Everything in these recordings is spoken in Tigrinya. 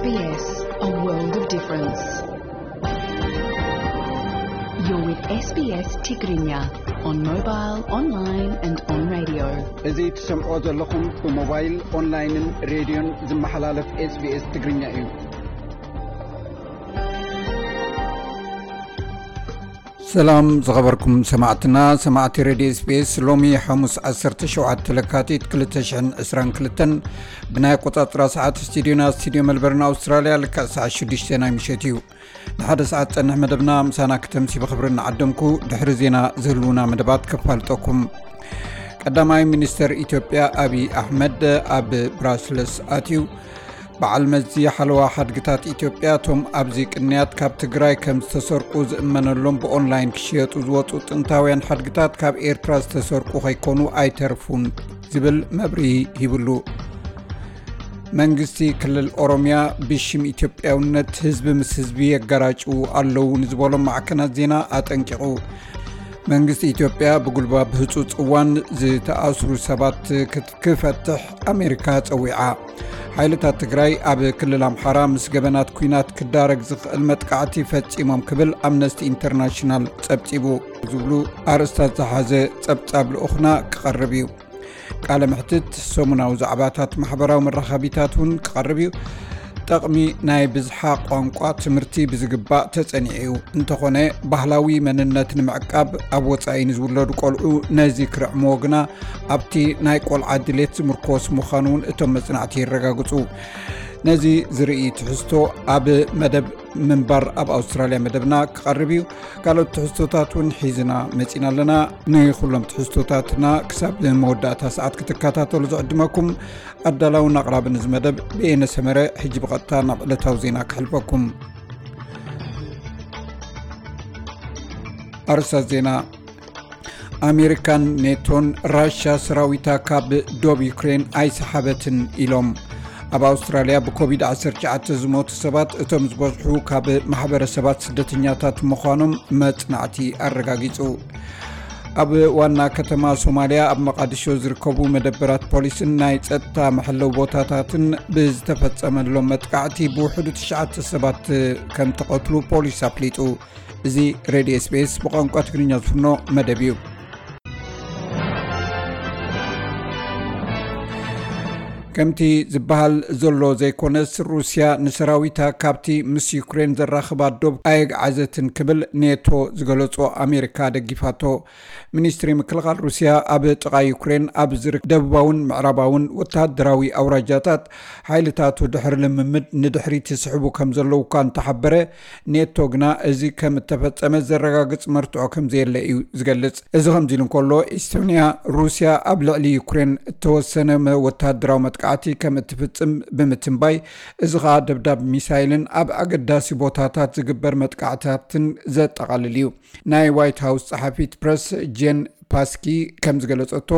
S B S, a world of difference. You're with S B S Tigrinya on mobile, online and on radio. እዚ ትሰምዖ ዘለኹም ብሞባይል፣ ኦንላይንን ሬድዮን ዝመሓላለፍ SBS ትግርኛ እዩ። ሰላም ዝኸበርኩም ሰማዕትና፣ ሰማዕቲ ሬድዮ SBS። ሎሚ ሓሙስ ዓሰርተ ሸውዓተ ለካቲት ክልተ ሽሕን ዕስራን ክልተን ብናይ ኣቆጻጽራ ሰዓት ስቱዲዮና፣ ስቱዲዮ መልበርን ኣውስትራልያ፣ ልክዕ ሰዓት ሽዱሽተ ናይ ምሸት እዩ። ንሓደ ሰዓት ጸንሕ መደብና ምሳና ክተምሲ ብኽብሪ እናዓደምኩ፣ ድሕሪ ዜና ዝህልዉና መደባት ከፋልጠኩም። ቀዳማይ ሚኒስተር ኢትዮጵያ ኣብይ ኣሕመድ ኣብ ብራስለስ ኣትዩ። በዓል መዚ ሓለዋ ሓድግታት ኢትዮጵያ፣ እቶም ኣብዚ ቅንያት ካብ ትግራይ ከም ዝተሰርቁ ዝእመነሎም ብኦንላይን ክሽየጡ ዝወፁ ጥንታውያን ሓድግታት ካብ ኤርትራ ዝተሰርቁ ከይኮኑ ኣይተርፉን ዝብል መብርሂ ሂብሉ። መንግስቲ ክልል ኦሮሚያ ብሽም ኢትዮጵያውነት ህዝቢ ምስ ህዝቢ የጋራጭዉ ኣለዉ ንዝበሎም ማዕከናት ዜና ኣጠንቂቑ። መንግስቲ ኢትዮጵያ ብጉልባብ ህጹጽ እዋን ዝተኣስሩ ሰባት ክት-፣ ክፈትሕ ኣሜሪካ ጸዊዓ። ሓይልታት ትግራይ ኣብ ክልል ኣምሓራ ምስ ገበናት ኲናት ክዳረግ ዝኽእል መጥቃዕቲ ፈጺሞም ክብል ኣምነስቲ ኢንተርናሽናል ጸብጺቡ። ዝብሉ ኣርእስታት ዝሓዘ ጸብጻብ ልኡኽና ክቐርብ እዩ። ቃለ መሕትት፣ ሰሙናዊ ዛዕባታት ማሕበራዊ መራኸቢታት እውን ክቐርብ እዩ። ጠቕሚ ናይ ብዝሓ ቋንቋ ትምህርቲ ብዝግባእ ተጸኒዑ እዩ። እንተኾነ፣ ባህላዊ መንነት ንምዕቃብ ኣብ ወጻኢ ንዝውለዱ ቆልዑ ነዚ ክርዕምዎ ግና ኣብቲ ናይ ቆልዓ ድሌት ዝምርኮስ ምዃኑ እውን እቶም መጽናዕቲ የረጋግጹ። ነዚ ዝርኢ ትሕዝቶ ኣብ መደብ ምንባር ኣብ ኣውስትራልያ መደብና ክቐርብ እዩ። ካልኦት ትሕዝቶታት እውን ሒዝና መጺና ኣለና። ንኹሎም ትሕዝቶታትና ክሳብ መወዳእታ ሰዓት ክትከታተሉ ዝዕድመኩም ኣዳላውን ኣቕራብን እዚ መደብ ብኤነ ሰመረ። ሕጂ ብቐጥታ ናብ ዕለታዊ ዜና ክሕልፈኩም። ኣርእስታት ዜና። ኣሜሪካን ኔቶን ራሻ ሰራዊታ ካብ ዶብ ዩክሬን ኣይሰሓበትን ኢሎም። ኣብ ኣውስትራልያ ብኮቪድ ዓሰርተ ትሽዓተ ዝሞቱ ሰባት እቶም ዝበዝሑ ካብ ማሕበረሰባት ስደተኛታት ምዃኖም መጽናዕቲ ኣረጋጊጹ። ኣብ ዋና ከተማ ሶማልያ ኣብ መቓድሾ ዝርከቡ መደበራት ፖሊስን ናይ ጸጥታ መሐለዊ ቦታታትን ብዝተፈጸመሎም መጥቃዕቲ ብውሕዱ ትሽዓተ ሰባት ከም ተቐትሉ ፖሊስ ኣፍሊጡ። እዚ ሬድዮ SBS ብቋንቋ ትግርኛ ዝፍኖ መደብ እዩ። ከምቲ ዝበሃል ዘሎ ዘይኮነስ፣ ሩስያ ንሰራዊታ ካብቲ ምስ ዩክሬን ዘራኽባ ዶብ ኣየግዓዘትን ክብል ኔቶ ዝገለጾ ኣሜሪካ ደጊፋቶ። ሚኒስትሪ ምክልኻል ሩስያ ኣብ ጥቓ ዩክሬን ኣብ ዝርከብ ደቡባውን ምዕራባውን ወተሃደራዊ ኣውራጃታት ሓይልታቱ ድሕሪ ልምምድ ንድሕሪት ይስሕቡ ከም ዘለዉ እኳ እንተሓበረ፣ ኔቶ ግና እዚ ከም እተፈጸመ ዘረጋግጽ መርትዖ ከም ዘየለ እዩ ዝገልጽ። እዚ ከምዚ ኢሉ እንከሎ፣ ኢስቶንያ ሩስያ ኣብ ልዕሊ ዩክሬን እተወሰነ መ-፣ ወተሃደራዊ መጥቃዕቲ ከም እትፍጽም ብምትንባይ፣ እዚ ኸኣ ደብዳብ ሚሳይልን ኣብ ኣገዳሲ ቦታታት ዝግበር መጥቃዕትታትን ዘጠቓልል እዩ። ናይ ዋይት ሃውስ ጸሓፊት ፕረስ ጄን ፓስኪ ከም ዝገለጸቶ፣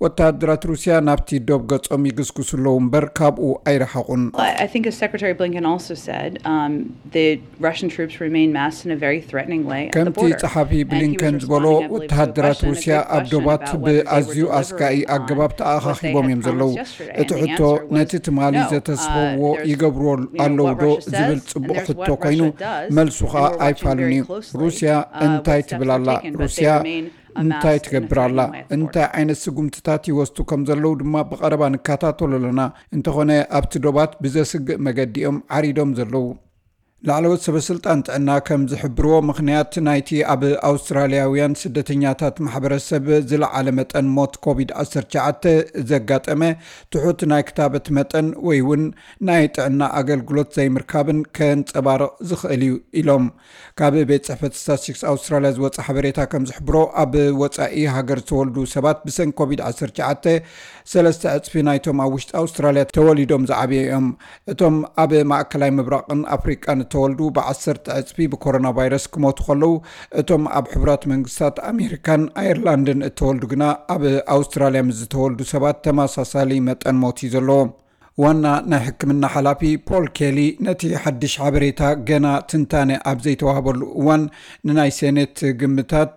ወተሃደራት ሩስያ ናብቲ ዶብ ገጾም ይግስግሱ ኣለዉ እምበር ካብኡ ኣይረሓቑን። I think as Secretary Blinken also said, um, the Russian troops remain massed in a very threatening way at the ከምቲ border. ጸሓፊ And he was ብሊንከን ዝበሎ፣ responding, I believe, to a ወተሃደራት question and a ሩስያ quick ኣብ question ዶባት about whether they were ብኣዝዩ ኣስጋኢ deliberate or not. ኣገባብ ተኣኻኺቦም እዮም ዘለዉ። እቲ ሕቶ፣ ነቲ ትማሊ ዘተስፈዎ ይገብርዎ ኣለዉ ዶ ዝብል ጽቡቕ ሕቶ ኮይኑ፣ መልሱ ኸኣ ኣይፋሉን እዩ። ሩስያ እንታይ ትብል ኣላ? ሩስያ እንታይ ትገብር ኣላ? እንታይ ዓይነት ስጉምትታት ይወስዱ ከም ዘለዉ ድማ ብቐረባ ንከታተሎ ኣለና። እንተኾነ፣ ኣብቲ ዶባት ብዘስግእ መገዲ እዮም ዓሪዶም ዘለዉ። ላዕለዎት ሰበ ስልጣን ጥዕና ከም ዝሕብርዎ፣ ምኽንያት ናይቲ ኣብ ኣውስትራልያውያን ስደተኛታት ማሕበረሰብ ዝለዓለ መጠን ሞት ኮቪድ ዓሰርተ ትሽዓተ ዘጋጠመ ትሑት ናይ ክታበት መጠን ወይ እውን ናይ ጥዕና ኣገልግሎት ዘይምርካብን ከንጸባርቕ ዝኽእል እዩ ኢሎም። ካብ ቤት ጽሕፈት ስታትስቲክስ ኣውስትራልያ ዝወጸ ሓበሬታ ከም ዝሕብሮ፣ ኣብ ወጻኢ ሃገር ዝተወልዱ ሰባት ብሰንኪ ኮቪድ ዓሰርተ ትሽዓተ ሰለስተ ዕጽፊ ናይቶም ኣብ ውሽጢ ኣውስትራልያ ተወሊዶም ዝዓበዩ እዮም። እቶም ኣብ ማእከላይ ምብራቕን ኣፍሪቃን እተወልዱ ብዓሰርተ ዕጽፊ ብኮሮና ቫይረስ ክሞቱ ከለዉ፣ እቶም ኣብ ሕቡራት መንግስታት ኣሜሪካን ኣየርላንድን እተወልዱ ግና ኣብ ኣውስትራልያ ምስ ዝተወልዱ ሰባት ተመሳሳሊ መጠን ሞት እዩ ዘለዎም። ዋና ናይ ሕክምና ሓላፊ ፖል ኬሊ ነቲ ሓድሽ ሓበሬታ ገና ትንታነ ኣብ ዘይተዋህበሉ እዋን ንናይ ሴኔት ግምታት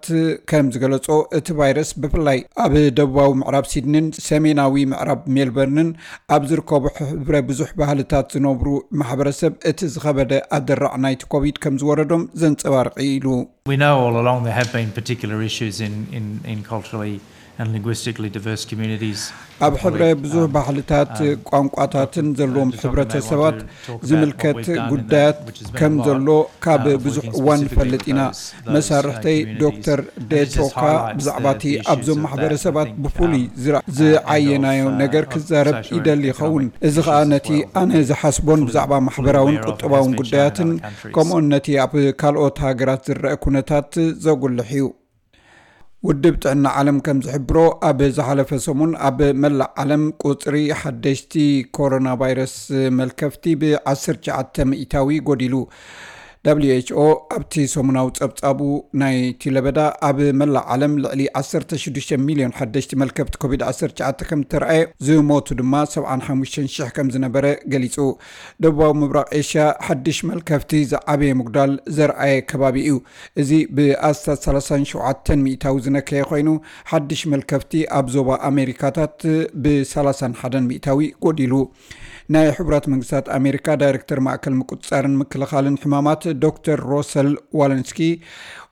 ከም ዝገለጾ፣ እቲ ቫይረስ ብፍላይ ኣብ ደቡባዊ ምዕራብ ሲድኒን ሰሜናዊ ምዕራብ ሜልበርንን ኣብ ዝርከቡ ሕብረ ብዙሕ ባህልታት ዝነብሩ ማሕበረሰብ እቲ ዝኸበደ ኣደራዕ ናይቲ ኮቪድ ከም ዝወረዶም ዘንጸባርቕ ኢሉ። We know all along there have been particular issues in, in, in culturally and linguistically diverse communities. ኣብ ሕብረ ብዙህ ባህልታት፣ ቋንቋታትን ዘለዎም ሕብረተሰባት ዝምልከት ጉዳያት ከም ዘሎ ካብ ብዙሕ እዋን ንፈልጥ ኢና። መሳርሕተይ ዶክተር ዴቶካ ብዛዕባ እቲ ኣብዞም ማሕበረሰባት ብፍሉይ ዝዓየናዮ ነገር ክዛረብ ይደሊ ይኸውን። እዚ ኸኣ ነቲ ኣነ ዝሓስቦን ብዛዕባ ማሕበራውን ቁጠባውን ጉዳያትን ከምኡን ነቲ ኣብ ካልኦት ሃገራት ዝረአ ኩነታት ዘጉልሕ እዩ። ውድብ ጥዕና ዓለም ከም ዝሕብሮ፣ ኣብ ዝሓለፈ ሰሙን ኣብ መላእ ዓለም ቁጽሪ ሓደሽቲ ኮሮና ቫይረስ መልከፍቲ ብ19 ሚእታዊ ጎዲሉ። ደብሊው ኤች ኦ ኣብቲ ሰሙናዊ ጸብጻቡ ናይቲ ለበዳ ኣብ መላእ ዓለም ልዕሊ 16 ሚልዮን ሓደሽቲ መልከፍቲ ኮቪድ-19 ከም ዝተረኣየ፣ ዝሞቱ ድማ 75,000 ከም ዝነበረ ገሊጹ። ደቡባዊ ምብራቕ ኤሽያ ሓድሽ መልከፍቲ ዝዓበየ ምጉዳል ዘርኣየ ከባቢ እዩ። እዚ ብኣስታት 37 ሚእታዊ ዝነከየ ኮይኑ፣ ሓድሽ መልከፍቲ ኣብ ዞባ ኣሜሪካታት ብ31 ሚእታዊ ጎዲሉ። ናይ ሕቡራት መንግስታት ኣሜሪካ ዳይሬክተር ማእከል ምቁጽጻርን ምክልኻልን ሕማማት ዶክተር ሮሰል ዋለንስኪ፣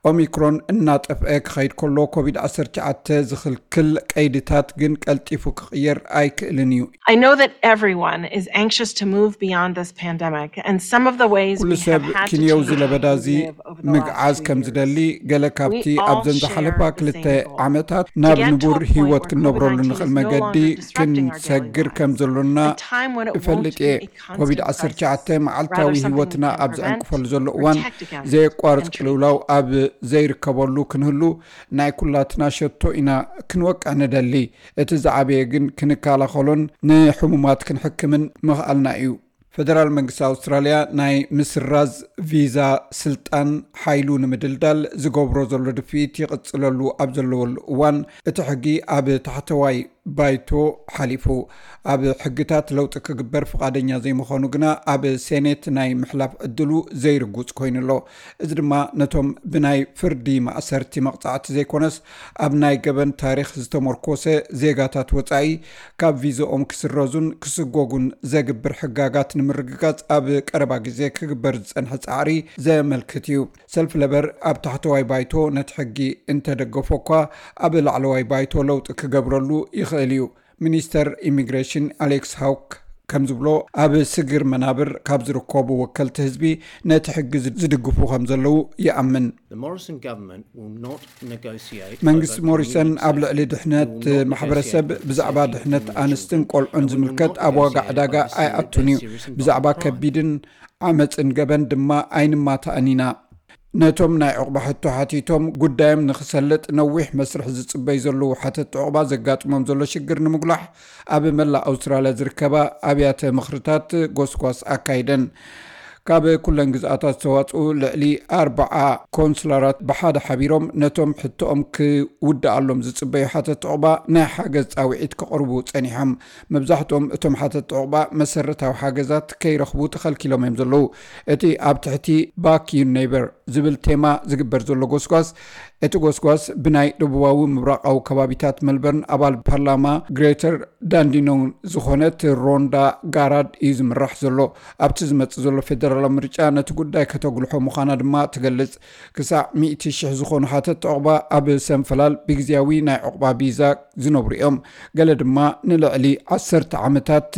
ኦሚክሮን እናጠፍአ ክኸይድ ከሎ ኮቪድ-19 ዝኽልክል ቀይድታት ግን ቀልጢፉ ክቕየር ኣይክእልን እዩ። I know that everyone is anxious to move beyond this pandemic, and some of the ways ኩሉ we have ሰብ had to ክንየው change ዝለበዳ how እዚ we live over the last ምግዓዝ few ከም years. ዝደሊ፣ ገለ ካብቲ We all ኣብዘን share ዝሓለፋ the ክልተ same goal. ዓመታት To ናብ get to a ንቡር point ህይወት where ክንነብረሉ COVID-19 ንኽእል is no መገዲ longer disrupting our daily ክንሰግር ከም lives. ዘሎና A time when it won't እፈልጥ be እየ። a constant ኮቪድ-19 crisis, መዓልታዊ rather something we ህይወትና can ኣብ prevent, ዘዕንቅፈሉ ዘሎ እዋን protect against, ዘየቋርጽ and treat. ቅልውላው ኣብ ዘይርከበሉ ክንህሉ ናይ ኩላትና ሸቶ ኢና ክንወቅዕ ንደሊ። እቲ ዝዓበየ ግን ክንከላኸሎን ንሕሙማት ክንሕክምን ምኽኣልና እዩ። ፈደራል መንግስቲ ኣውስትራልያ ናይ ምስራዝ ቪዛ ስልጣን ሓይሉ ንምድልዳል ዝገብሮ ዘሎ ድፍኢት ይቕጽለሉ ኣብ ዘለወሉ እዋን፣ እቲ ሕጊ ኣብ ታሕተዋይ ባይቶ ሓሊፉ። ኣብ ሕግታት ለውጢ ክግበር ፍቓደኛ ዘይምዃኑ ግና ኣብ ሴኔት ናይ ምሕላፍ ዕድሉ ዘይርጉጽ ኮይኑ ኣሎ። እዚ ድማ ነቶም ብናይ ፍርዲ ማእሰርቲ መቕጻዕቲ ዘይኮነስ ኣብ ናይ ገበን ታሪኽ ዝተመርኮሰ ዜጋታት ወጻኢ ካብ ቪዛኦም ክስረዙን ክስጎጉን ዘግብር ሕጋጋት ንምርግጋጽ ኣብ ቀረባ ግዜ ክግበር ዝጸንሐ ጻዕሪ ዘመልክት እዩ። ሰልፊ ለበር ኣብ ታሕተዋይ ባይቶ ነቲ ሕጊ እንተደገፎ እኳ፣ ኣብ ላዕለዋይ ባይቶ ለውጢ ክገብረሉ ይኽእል እዩ። ሚኒስተር ኢሚግሬሽን ኣሌክስ ሃውክ ከም ዝብሎ፣ ኣብ ስግር መናብር ካብ ዝርከቡ ወከልቲ ህዝቢ ነቲ ሕጊ ዝድግፉ ከም ዘለዉ ይኣምን። The Morrison government will not negotiate መንግስቲ over ሞሪሰን communities. ኣብ ልዕሊ ድሕነት ማሕበረሰብ፣ ብዛዕባ ድሕነት ኣንስትን ቆልዑን ዝምልከት ኣብ ዋጋ ዕዳጋ ኣይኣቱን እዩ። ብዛዕባ ከቢድን ዓመፅን ገበን ድማ ኣይንማታእን ኢና። ነቶም ናይ ዕቑባ ሕቶ ሓቲቶም ጉዳዮም ንክሰልጥ ነዊሕ መስርሕ ዝፅበዩ ዘለዉ ሓተቲ ዕቑባ ዘጋጥሞም ዘሎ ሽግር ንምጉላሕ ኣብ መላእ ኣውስትራልያ ዝርከባ ኣብያተ ምኽርታት ጎስጓስ ኣካይደን። ካብ ኩለን ግዝኣታት ዝተዋፅኡ ልዕሊ ኣርብዓ ኮንስላራት ብሓደ ሓቢሮም ነቶም ሕቶኦም ክውድኣሎም ዝፅበዩ ሓተቲ ዕቑባ ናይ ሓገዝ ፃውዒት ከቕርቡ ፀኒሖም። መብዛሕትኦም እቶም ሓተቲ ዕቑባ መሰረታዊ ሓገዛት ከይረኽቡ ተኸልኪሎም እዮም ዘለዉ። እቲ ኣብ ትሕቲ ባክ ዩር ኔይበር ዝብል ቴማ ዝግበር ዘሎ ጎስጓስ፣ እቲ ጎስጓስ ብናይ ደቡባዊ ምብራቓዊ ከባቢታት መልበርን ኣባል ፓርላማ ግሬተር ዳንዲኖን ዝኾነት ሮንዳ ጋራድ እዩ ዝምራሕ ዘሎ። ኣብቲ ዝመጽእ ዘሎ ፌደራላዊ ምርጫ ነቲ ጉዳይ ከተጉልሖ ምዃና ድማ ትገልጽ። ክሳዕ ሚእቲ ሽሕ ዝኾኑ ሓተቲ ዕቑባ ኣብ ሰንፈላል ብግዝያዊ ናይ ዕቑባ ቪዛ ዝነብሩ እዮም። ገለ ድማ ንልዕሊ ዓሰርተ ዓመታት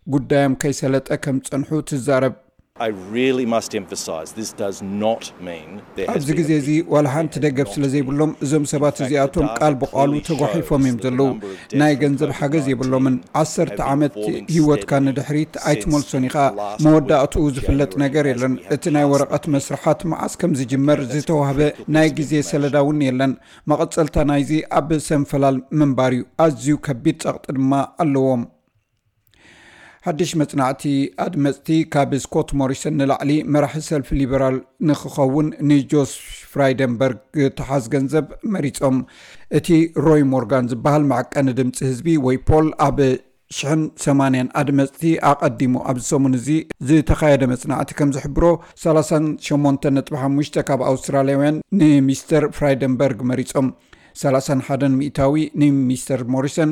ጉዳዮም ከይሰለጠ ከም ዝጸንሑ ትዛረብ። I really must emphasise this does not mean there has ኣብዚ been ግዜ a እዚ ዋላ ሓንቲ ደገፍ ስለ ዘይብሎም እዞም ሰባት እዚኣቶም ቃል ብቃሉ ተጓሒፎም እዮም ዘለዉ። ናይ ገንዘብ ሓገዝ የብሎምን። ዓሰርተ ዓመት ህይወትካ ንድሕሪት ኣይትመልሶን ኢኻ። መወዳእትኡ ዝፍለጥ ነገር የለን። እቲ ናይ ወረቐት መስርሓት መዓስ ከም ዝጅመር ዝተዋህበ ናይ ግዜ ሰለዳ እውን የለን። መቐጸልታ ናይዚ ኣብ ሰንፈላል ምንባር እዩ። ኣዝዩ ከቢድ ጸቕጢ ድማ ኣለዎም። ሓድሽ መጽናዕቲ ኣድመጽቲ ካብ ስኮት ሞሪሰን ንላዕሊ መራሒ ሰልፊ ሊበራል ንክኸውን ንጆሽ ፍራይደንበርግ ተሓዝ ገንዘብ መሪጾም። እቲ ሮይ ሞርጋን ዝበሃል መዐቀኒ ድምጺ ህዝቢ ወይ ፖል ኣብ ሽሕን ሰማንያን ኣድመፅቲ ኣቐዲሙ ኣብዚ ሰሙን እዚ ዝተኻየደ መፅናዕቲ ከም ዝሕብሮ፣ ሰላሳን ሸሞንተን ነጥቢ ሓሙሽተ ካብ ኣውስትራልያውያን ንሚስተር ፍራይደንበርግ መሪጾም፣ ሰላሳን ሓደን ሚእታዊ ንሚስተር ሞሪሰን፣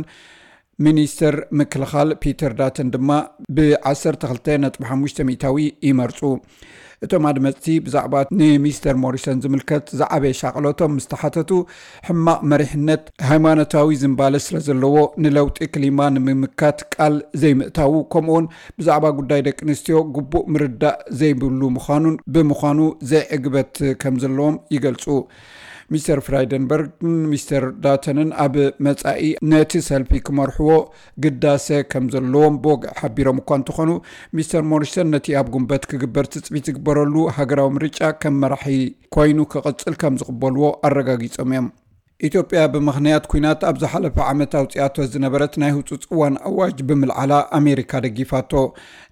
ሚኒስተር ምክልኻል ፒተር ዳተን ድማ ብ ዓሰርተ ክልተ ነጥቢ ሓሙሽተ ሚእታዊ ይመርጹ። እቶም ኣድመፅቲ ብዛዕባ ንሚስተር ሞሪሰን ዝምልከት ዝዓበየ ሻቕሎቶም ምስ ተሓተቱ፣ ሕማቕ መሪሕነት፣ ሃይማኖታዊ ዝንባለ ስለ ዘለዎ፣ ንለውጢ ክሊማ ንምምካት ቃል ዘይምእታዉ፣ ከምኡውን ብዛዕባ ጉዳይ ደቂ ኣንስትዮ ግቡእ ምርዳእ ዘይብሉ ምዃኑን ብምዃኑ ዘይዕግበት ከም ዘለዎም ይገልጹ። ሚስተር ፍራይደንበርግን ሚስተር ዳተንን ኣብ መጻኢ ነቲ ሰልፊ ክመርሕዎ ግዳሰ ከም ዘለዎም ብወግዒ ሓቢሮም እኳ እንተኾኑ፣ ሚስተር ሞሪሰን ነቲ ኣብ ጉንበት ክግበር ትጽቢት ዝግበረሉ ሃገራዊ ምርጫ ከም መራሒ ኮይኑ ክቕጽል ከም ዝቕበልዎ ኣረጋጊጾም እዮም። ኢትዮጵያ ብምኽንያት ኲናት ኣብ ዝሓለፈ ዓመት ኣውጺኣቶ ዝነበረት ናይ ህጹጽ እዋን ኣዋጅ ብምልዓላ ኣሜሪካ ደጊፋቶ።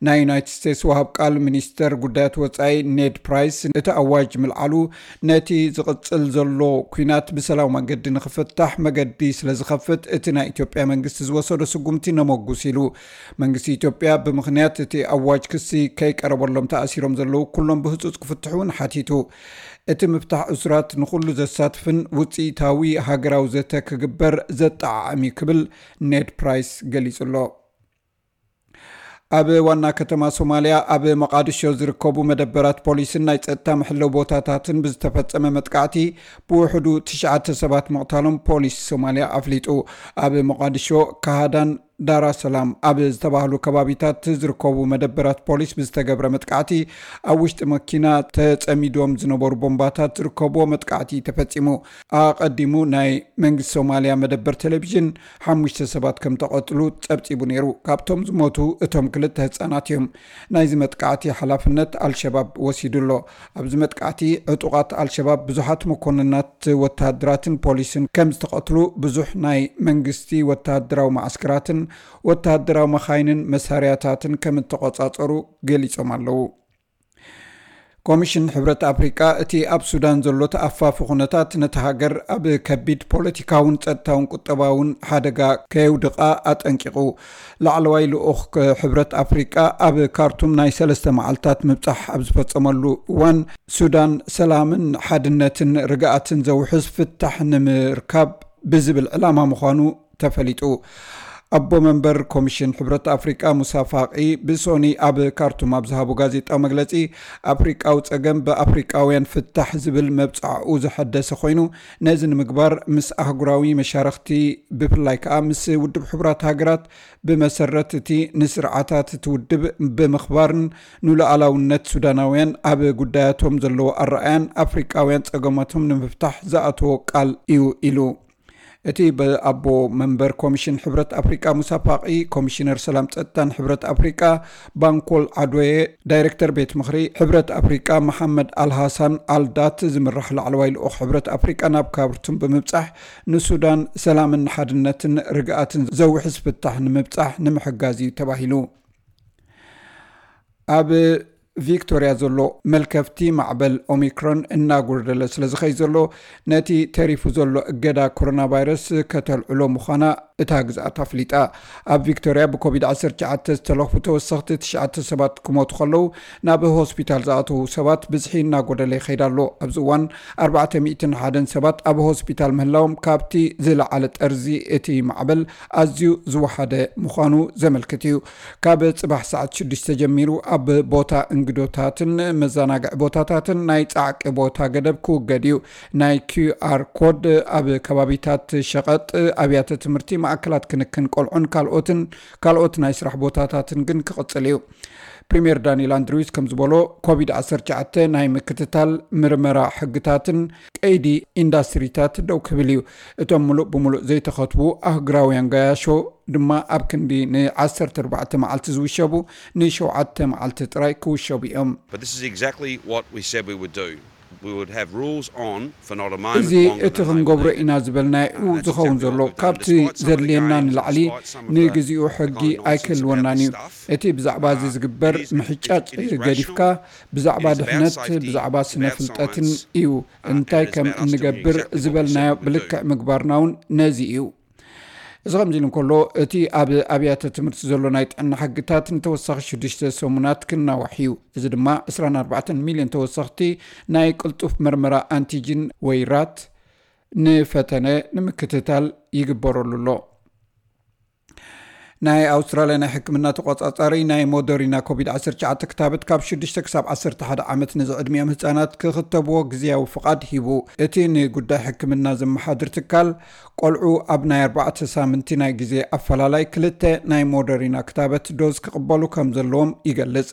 ናይ ዩናይትድ ስቴትስ ወሃብ ቃል ሚኒስተር ጉዳያት ወጻኢ ኔድ ፕራይስ እቲ ኣዋጅ ምልዓሉ ነቲ ዝቕጽል ዘሎ ኲናት ብሰላም መገዲ ንኽፍታሕ መገዲ ስለ ዝኸፍት እቲ ናይ ኢትዮጵያ መንግስቲ ዝወሰዶ ስጉምቲ ነመጉስ ኢሉ። መንግስቲ ኢትዮጵያ ብምኽንያት እቲ ኣዋጅ ክሲ ከይቀረበሎም ተኣሲሮም ዘለዉ ኩሎም ብህጹጽ ክፍትሑ እውን ሓቲቱ። እቲ ምፍታሕ እሱራት ንኹሉ ዘሳትፍን ውጽኢታዊ ሃገራዊ ዘተ ክግበር ዘጠዓዕም እዩ ክብል ኔድ ፕራይስ ገሊጹ ኣሎ። ኣብ ዋና ከተማ ሶማልያ ኣብ መቓድሾ ዝርከቡ መደበራት ፖሊስን ናይ ጸጥታ መሐለዊ ቦታታትን ብዝተፈጸመ መጥቃዕቲ ብውሕዱ ትሽዓተ ሰባት ምቕታሎም ፖሊስ ሶማልያ ኣፍሊጡ። ኣብ መቓድሾ፣ ካሃዳን ዳራ ሰላም ኣብ ዝተባህሉ ከባቢታት ዝርከቡ መደበራት ፖሊስ ብዝተገብረ መጥቃዕቲ ኣብ ውሽጢ መኪና ተጸሚዶም ዝነበሩ ቦምባታት ዝርከብዎ መጥቃዕቲ ተፈጺሙ። ኣቐዲሙ ናይ መንግስቲ ሶማልያ መደበር ቴሌቪዥን ሓሙሽተ ሰባት ከም ተቐትሉ ጸብጺቡ ነይሩ። ካብቶም ዝሞቱ እቶም ክልተ ህጻናት እዮም። ናይዚ መጥቃዕቲ ሓላፍነት ኣልሸባብ ወሲዱ ኣሎ። ኣብዚ መጥቃዕቲ ዕጡቓት ኣልሸባብ ብዙሓት መኮንናት ወተሃደራትን ፖሊስን ከም ዝተቐትሉ፣ ብዙሕ ናይ መንግስቲ ወተሃደራዊ መዓስከራትን ወተሃደራዊ መኻይንን መሳርያታትን ከም እተቖጻጸሩ ገሊጾም ኣለዉ። ኮሚሽን ሕብረት ኣፍሪቃ እቲ ኣብ ሱዳን ዘሎ ተኣፋፊ ኩነታት ነቲ ሃገር ኣብ ከቢድ ፖለቲካውን ጸጥታውን ቁጠባውን ሓደጋ ከየውድቓ ኣጠንቂቑ። ላዕለዋይ ልኡኽ ክ-፣ ሕብረት ኣፍሪቃ ኣብ ካርቱም ናይ ሰለስተ መዓልታት ምብጻሕ ኣብ ዝፈጸመሉ እዋን፣ ሱዳን ሰላምን ሓድነትን ርግኣትን ዘውሕስ ፍታሕ ንምርካብ ብዝብል ዕላማ ምዃኑ ተፈሊጡ። ኣቦ መንበር ኮሚሽን ሕብረት ኣፍሪቃ ሙሳ ፋቂ ብሶኒ ኣብ ካርቱም ኣብ ዝሃቦ ጋዜጣዊ መግለጺ፣ ኣፍሪቃዊ ጸገም ብኣፍሪቃውያን ፍታሕ ዝብል መብጻዕኡ ዘሐደሰ ኮይኑ፣ ነዚ ንምግባር ምስ ኣህጉራዊ መሻርኽቲ፣ ብፍላይ ከኣ ምስ ውድብ ሕቡራት ሃገራት ብመሰረት እቲ ንስርዓታት እቲ ውድብ ብምኽባርን ንሉዓላውነት ሱዳናውያን ኣብ ጉዳያቶም ዘለዎ ኣረኣያን ኣፍሪቃውያን ጸገማቶም ንምፍታሕ ዝኣተዎ ቃል እዩ ኢሉ። እቲ ብኣቦ መንበር ኮሚሽን ሕብረት ኣፍሪቃ ሙሳ ፋቂ፣ ኮሚሽነር ሰላም ጸጥታን ሕብረት ኣፍሪቃ ባንኮል ዓዶየ፣ ዳይሬክተር ቤት ምኽሪ ሕብረት ኣፍሪቃ መሓመድ ኣልሃሳን ኣልዳት ዝምራሕ ላዕለዋይ ልኡኽ ሕብረት ኣፍሪቃ ናብ ካርቱም ብምብጻሕ ንሱዳን ሰላምን ሓድነትን ርግኣትን ዘውሕስ ፍታሕ ንምብጻሕ ንምሕጋዝ እዩ ተባሂሉ። ኣብ ቪክቶርያ ዘሎ መልከፍቲ ማዕበል ኦሚክሮን እናጎደለ ስለ ዝኸይ ዘሎ፣ ነቲ ተሪፉ ዘሎ እገዳ ኮሮና ቫይረስ ከተልዕሎ ምዃና እታ ግዝኣት ኣፍሊጣ። ኣብ ቪክቶርያ ብኮቪድ ዓሰርተ ትሽዓተ ዝተለኽፉ ተወሰኽቲ ትሽዓተ ሰባት ክሞቱ ከለዉ፣ ናብ ሆስፒታል ዝኣተዉ ሰባት ብዝሒ እናጎደለ ይኸይድ ኣሎ። ኣብዚ እዋን ኣርባዕተ ሚእትን ሓደን ሰባት ኣብ ሆስፒታል ምህላዎም፣ ካብቲ ዝለዓለ ጠርዚ እቲ ማዕበል ኣዝዩ ዝወሓደ ምዃኑ ዘመልክት እዩ። ካብ ጽባሕ ሰዓት ሽዱሽተ ጀሚሩ ኣብ ቦታ እንግዶታትን መዘናግዒ ቦታታትን ናይ ጻዕቂ ቦታ ገደብ ክውገድ እዩ። ናይ ኪው ኣር ኮድ ኣብ ከባቢታት ሸቐጥ፣ ኣብያተ ትምህርቲ፣ ማእከላት ክንክን ቆልዑን ካልኦትን፣ ካልኦት ናይ ስራሕ ቦታታትን ግን ክቕጽል እዩ። ፕሪምየር ዳንኤል ኣንድሪውስ ከም ዝበሎ፣ ኮቪድ ዓሰርተ ትሽዓተ ናይ ምክትታል፣ ምርመራ ሕግታትን ቀይዲ ኢንዳስትሪታት ደው ክብል እዩ። እቶም ምሉእ ብምሉእ ዘይተኸትቡ ኣህጉራውያን ገያሾ ድማ ኣብ ክንዲ ን ዓሰርተ ኣርባዕተ መዓልቲ ዝውሸቡ፣ ንሸውዓተ መዓልቲ ጥራይ ክውሸቡ እዮም። But this is exactly what we said we would do. We would have rules on for not a moment እዚ longer እቲ than they ክንገብሮ were ኢና ዝበልናዮ እዩ ዝኸውን ዘሎ። ካብቲ ዘድልየና ንላዕሊ ንግዚኡ ሕጊ ኣይክህልወናን እዩ። እቲ ብዛዕባ እዚ ዝግበር ምሕጫጭ ገዲፍካ፣ ብዛዕባ ድሕነት፣ ብዛዕባ ስነ ፍልጠትን እዩ። እንታይ ከም እንገብር ዝበልናዮ ብልክዕ ምግባርና እውን ነዚ እዩ። እዚ ከምዚ ኢሉ እንከሎ፣ እቲ ኣብ ኣብያተ ትምህርቲ ዘሎ ናይ ጥዕና ሕግታት ንተወሳኺ ሽዱሽተ ሰሙናት ክናዋሕ እዩ። እዚ ድማ ዕስራን ኣርባዕተን ሚልዮን ተወሰኽቲ ናይ ቅልጡፍ መርመራ ኣንቲጅን ወይ ራት ንፈተነ ንምክትታል ይግበረሉ ኣሎ። ናይ ኣውስትራልያ ናይ ሕክምና ተቆጻጻሪ ናይ ሞደሪና ኮቪድ ዓሰርተ ትሽዓተ ክታበት ካብ ሽዱሽተ ክሳብ ዓሰርተ ሓደ ዓመት ንዝዕድሚኦም ህጻናት ክኽተብዎ ግዝያዊ ፍቓድ ሂቡ። እቲ ንጉዳይ ሕክምና ዘመሓድር ትካል፣ ቆልዑ ኣብ ናይ ኣርባዕተ ሳምንቲ ናይ ግዜ ኣፈላላይ ክልተ ናይ ሞደሪና ክታበት ዶዝ ክቕበሉ ከም ዘለዎም ይገልጽ።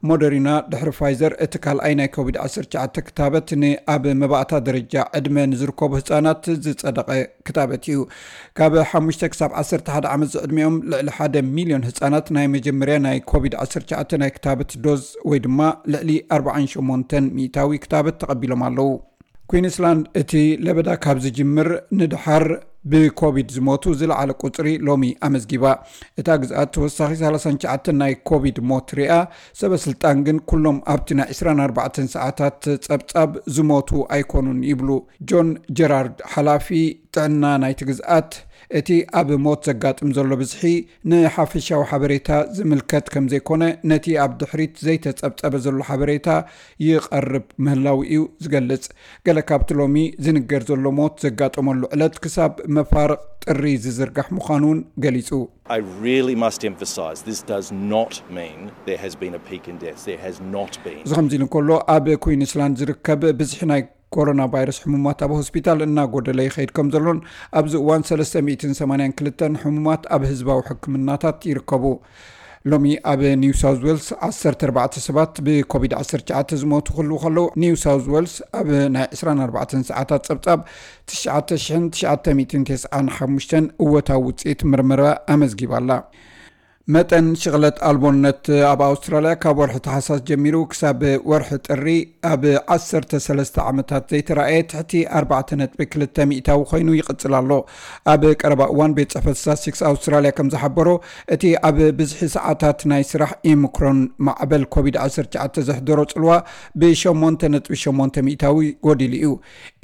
ሞደሪና ድሕሪ ፋይዘር እቲ ካልኣይ ናይ ኮቪድ ዓሰርተ ትሽዓተ ክታበት ንኣብ መባእታ ደረጃ ዕድመ ንዝርከቡ ህጻናት ዝጸደቐ ክታበት እዩ። ካብ ሓሙሽተ ክሳብ ዓሰርተ ሓደ ዓመት ዝዕድሚኦም ልዕሊ ሓደ ሚልዮን ህጻናት ናይ መጀመርያ ናይ ኮቪድ ዓሰርተ ትሽዓተ ናይ ክታበት ዶዝ ወይ ድማ ልዕሊ ኣርባዓን ሸሞንተን ሚእታዊ ክታበት ተቐቢሎም ኣለዉ። ኩዊንስላንድ እቲ ለበዳ ካብ ዝጅምር ንድሓር ብኮቪድ ዝሞቱ ዝለዓለ ቁጽሪ ሎሚ ኣመዝጊባ። እታ ግዝኣት ተወሳኺ ሰላሳን ትሽዓተን ናይ ኮቪድ ሞት ሪኣ፣ ሰበ ስልጣን ግን ኩሎም ኣብቲ ናይ ዕስራን ኣርባዕተን ሰዓታት ጸብጻብ ዝሞቱ ኣይኮኑን ይብሉ። ጆን ጀራርድ፣ ሓላፊ ጥዕና ናይቲ ግዝኣት፣ እቲ ኣብ ሞት ዘጋጥም ዘሎ ብዝሒ ንሓፈሻዊ ሓበሬታ ዝምልከት ከም ዘይኮነ፣ ነቲ ኣብ ድሕሪት ዘይተጸብጸበ ዘሎ ሓበሬታ ይቐርብ ምህላው እዩ ዝገልጽ። ገለ ካብቲ ሎሚ ዝንገር ዘሎ ሞት ዘጋጠመሉ ዕለት ክሳብ መፋርቕ ጥሪ ዝዝርጋሕ ምዃኑ እውን ገሊጹ። I really must emphasise this does not mean there has been a peak in deaths. There has not been. እዚ ከምዚ ኢሉ እንከሎ፣ ኣብ ኩዊንስላንድ ዝርከብ ብዝሒ ናይ ኮሮና ቫይረስ ሕሙማት ኣብ ሆስፒታል እናጎደለ ይኸይድ ከም ዘሎን፣ ኣብዚ እዋን ሰለስተ ሚእትን ሰማንያን ክልተን ሕሙማት ኣብ ህዝባዊ ሕክምናታት ይርከቡ። ሎሚ ኣብ ኒው ሳውዝ ዌልስ ዓሰርተ ኣርባዕተ ሰባት ብኮቪድ ዓሰርተ ትሽዓተ ዝሞቱ ክህልዉ ከለዉ፣ ኒው ሳውዝ ዌልስ ኣብ ናይ ዕስራን ኣርባዕተን ሰዓታት ጸብጻብ ትሽዓተ ሽሕን ትሽዓተ ሚእትን ተስዓን ሓሙሽተን እወታዊ ውጽኢት ምርመራ ኣመዝጊባ ኣላ። መጠን ሽቕለት ኣልቦነት ኣብ ኣውስትራልያ ካብ ወርሒ ታሕሳስ ጀሚሩ ክሳብ ወርሒ ጥሪ ኣብ ዓሰርተ ሰለስተ ዓመታት ዘይተራእየ ትሕቲ ኣርባዕተ ነጥቢ ክልተ ሚእታዊ ኮይኑ ይቕጽል ኣሎ። ኣብ ቀረባ እዋን ቤት ጽሕፈት ስታትስቲክስ ኣውስትራልያ ከም ዝሓበሮ፣ እቲ ኣብ ብዝሒ ሰዓታት ናይ ስራሕ ኢምክሮን ማዕበል ኮቪድ ዓሰርተ ትሽዓተ ዘሕደሮ ጽልዋ ብሸሞንተ ነጥቢ ሸሞንተ ሚእታዊ ጎዲሉ እዩ።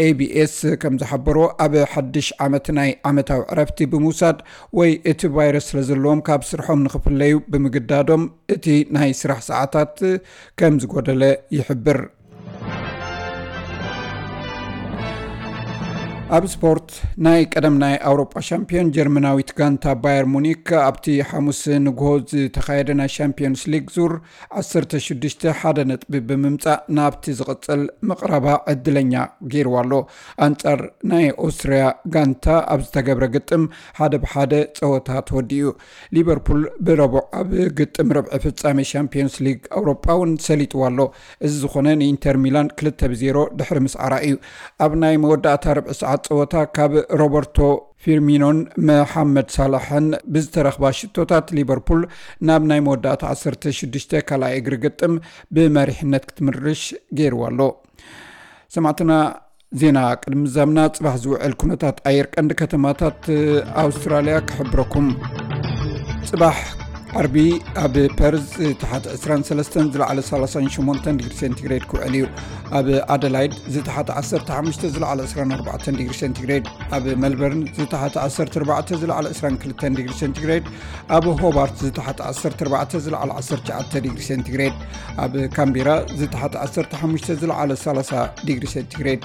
ኤቢኤስ ከም ዝሓበሮ፣ ኣብ ሓድሽ ዓመት ናይ ዓመታዊ ዕረፍቲ ብምውሳድ ወይ እቲ ቫይረስ ስለ ዘለዎም ካብ ስርሖም ንኽፍለዩ ብምግዳዶም እቲ ናይ ስራሕ ሰዓታት ከም ዝጎደለ ይሕብር። ኣብ ስፖርት፣ ናይ ቀደም ናይ ኣውሮጳ ሻምፒዮን ጀርመናዊት ጋንታ ባየር ሙኒክ ኣብቲ ሓሙስ ንግሆ ዝተኻየደ ናይ ሻምፒዮንስ ሊግ ዙር ዓሰርተ ሽዱሽተ ሓደ ነጥቢ ብምምጻእ ናብቲ ዝቕጽል ምቕራባ ዕድለኛ ገይርዋ ኣሎ። ኣንጻር ናይ ኦስትርያ ጋንታ ኣብ ዝተገብረ ግጥም ሓደ ብሓደ ጸወታ ተወዲኡ። ሊቨርፑል ብረቡዕ ኣብ ግጥም ርብዒ ፍጻሜ ሻምፒዮንስ ሊግ ኣውሮጳ እውን ሰሊጥዋ ኣሎ። እዚ ዝኾነ ንኢንተር ሚላን ክልተ ብዜሮ ድሕሪ ምስዓራ እዩ። ኣብ ናይ መወዳእታ ርብዒ ሰዓት ጸወታ ካብ ሮበርቶ ፊርሚኖን መሓመድ ሳላሕን ብዝተረኽባ ሽቶታት ሊቨርፑል ናብ ናይ መወዳእታ ዓሰርተ ሽዱሽተ ካልኣይ እግሪ ግጥም ብመሪሕነት ክትምርሽ ገይርዋ ኣሎ። ሰማዕትና፣ ዜና ቅድሚ ምዛምና፣ ጽባሕ ዝውዕል ኩነታት ኣየር ቀንዲ ከተማታት ኣውስትራልያ ክሕብረኩም። ጽባሕ ዓርቢ ኣብ ፐርዝ ዝተሓተ ዕስራን ሰለስተን ዝለዓለ ሰላሳን ሸሞንተን ዲግሪ ሴንቲግሬድ ክውዕል እዩ። ኣብ ኣደላይድ ዝተሓተ ዓሰርተ ሓሙሽተ ዝለዓለ ዕስራን ኣርባዕተን ዲግሪ ሴንቲግሬድ፣ ኣብ ሜልበርን ዝተሓተ ዓሰርተ ኣርባዕተ ዝለዓለ ዕስራን ክልተን ዲግሪ ሴንቲግሬድ፣ ኣብ ሆባርት ዝተሓተ ዓሰርተ ኣርባዕተ ዝለዓለ ዓሰርተ ትሽዓተ ዲግሪ ሴንቲግሬድ፣ ኣብ ካምቤራ ዝተሓተ ዓሰርተ ሓሙሽተ ዝለዓለ ሰላሳ ዲግሪ ሴንቲግሬድ፣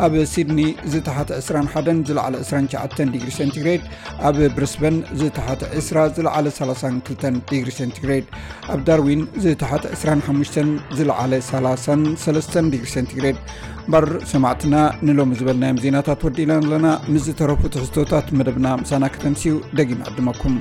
ኣብ ሲድኒ ዝተሓተ ዕስራን ሓደን ዝለዓለ ዕስራን ትሽዓተን ዲግሪ ሴንቲግሬድ፣ ኣብ ብሪስበን ዝተሓተ ዕስራ ዝለዓለ ሰላሳን ክልተን ዲግሪ ሴንቲግሬድ፣ ኣብ ዳርዊን ዝተሓተ ዕስራን ሓሙሽተን ዝለዓለ ሰላሳን ሰለስተን ዲግሪ ሴንቲግሬድ። እምበር ሰማዕትና፣ ንሎሚ ዝበልናዮም ዜናታት ወዲእና ኣለና። ምስ ዝተረፉ ትሕዝቶታት መደብና ምሳና ከተምስዩ ደጊም ዕድመኩም።